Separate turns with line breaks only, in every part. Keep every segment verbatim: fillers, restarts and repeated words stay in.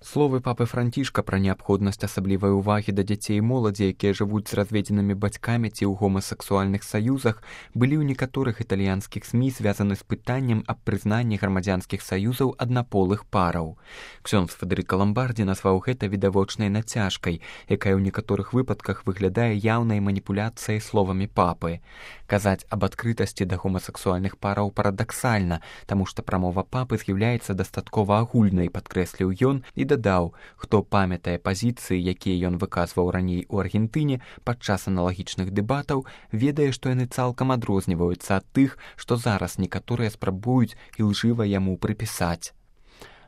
Словы папы Францішка пра неабходнасць асаблівай увагі да дзяцей і моладзі, якія жывуць з разведзенымі бацькамі ці ў гомасексуальных саюзах, былі ў некаторых італьянскіх СМІ звязаны з пытаннем аб прызнанні грамадзянскіх саюзаў аднаполых параў. Ксёндз Федэрыка Ламбардзі назваў гэта відавочнай нацяжкай, якая ў некаторых выпадках выглядае яўнай маніпуляцыяй словамі папы. Казаць аб адкрытасці да гомасексуальных параў парадаксальна, таму што прамова папы з'яўляецца дастаткова агульнай, падкрэсліў ён, і дадаў, хто памятае пазіцыі, якія ён выказваў раней у Аргентыне падчас аналагічных дэбатаў, ведае, што яны цалкам адрозніваюцца ад тых, што зараз некаторыя спрабуюць ілжыва яму прыпісаць.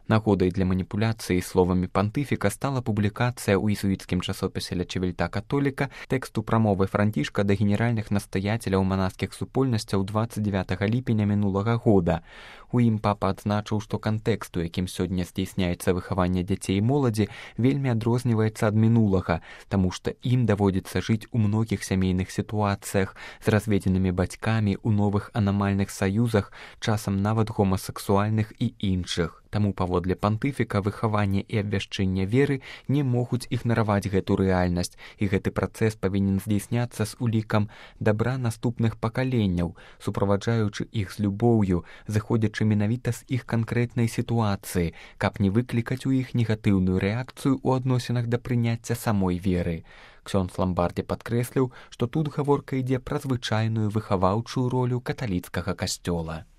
Нагодай для маніпуляцыі словамі пантыфіка стала публікацыя ў езуіцкім часопісе «Ля Чевельта Католіка» тэксту прамовы Францішка да генеральных настаяцеляў манаскіх супольнасцяў дваццаць дзевятага ліпеня мінулага года. У ім папа адзначыў, што кантэкст, у якім сёння здзейсняецца выхаванне дзяцей і моладзі, вельмі адрозніваецца ад мінулага, таму што ім даводзіцца жыць у многіх сямейных сітуацыях з разведзенымі бацькамі, у новых анамальных саюзах, часам нават гомасексуальных і іншых. Таму паводле пантыфіка выхаванне і абвяшчэнне веры не могуць ігнараваць гэту рэальнасць, і гэты працэс павінен здзейсняцца з улікам дабра наступных пакаленняў, суправаджаючы іх з любоўю, зыходзячы менавіта з іх канкрэтнай сітуацыі, каб не выклікаць у іх негатыўную рэакцыю ў адносінах да прыняцця самой веры. Ксёндз Ламбардзі падкрэсліў, што тут гаворка ідзе пра звычайную выхаваўчую ролю каталіцкага касцёла.